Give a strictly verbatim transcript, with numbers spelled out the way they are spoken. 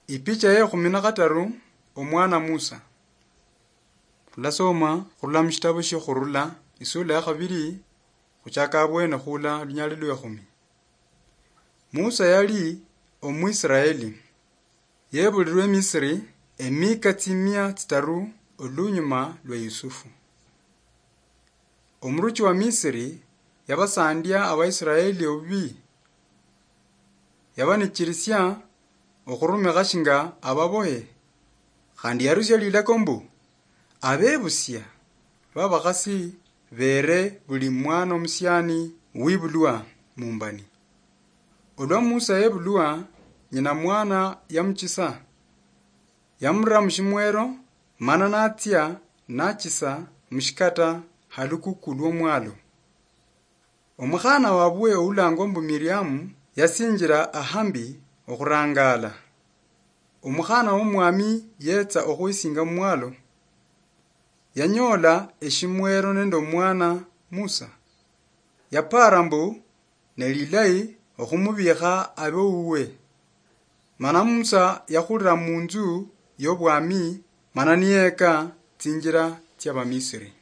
Ipicha ye khumi na khataru, omwana Musa. Khulasoma khurula mushitabo shiokhurula, isula ya khabiri, khuchaka abwene khula lunyali lwe khumi. Musa yali Omwisraeli. Yebulirwe Misri emika tsimia tsitaru olunyuma lwa Yusufu. Omuruchi wa Misri yabasandia Abaisraeli obubi. Yabanichirisia okhurumikha shinga ababohe, khandi yarusia lilako mbu, abebusia babakhasi bere buli mwana omusiani wibulwa mumbani. Olwa Musa yebulwa, nyina mwana yamuchisa. Yamura mushimwero, mana natsia nachisa mushikata halukuku lwomwalo. Omukhana wabwe oulangwa mbu Miriamu yasinjira ahambi okhurangala. Omukhana womwami yetsa okhwisinga mumwalo. Yanyola eshimwero nende omwana Musa. Yapara mbu nelilayi okhumubikha abe wuwe. Mana Musa yakhulira munzu yobwami, mana niyeka tsinjira tsiabamisiri.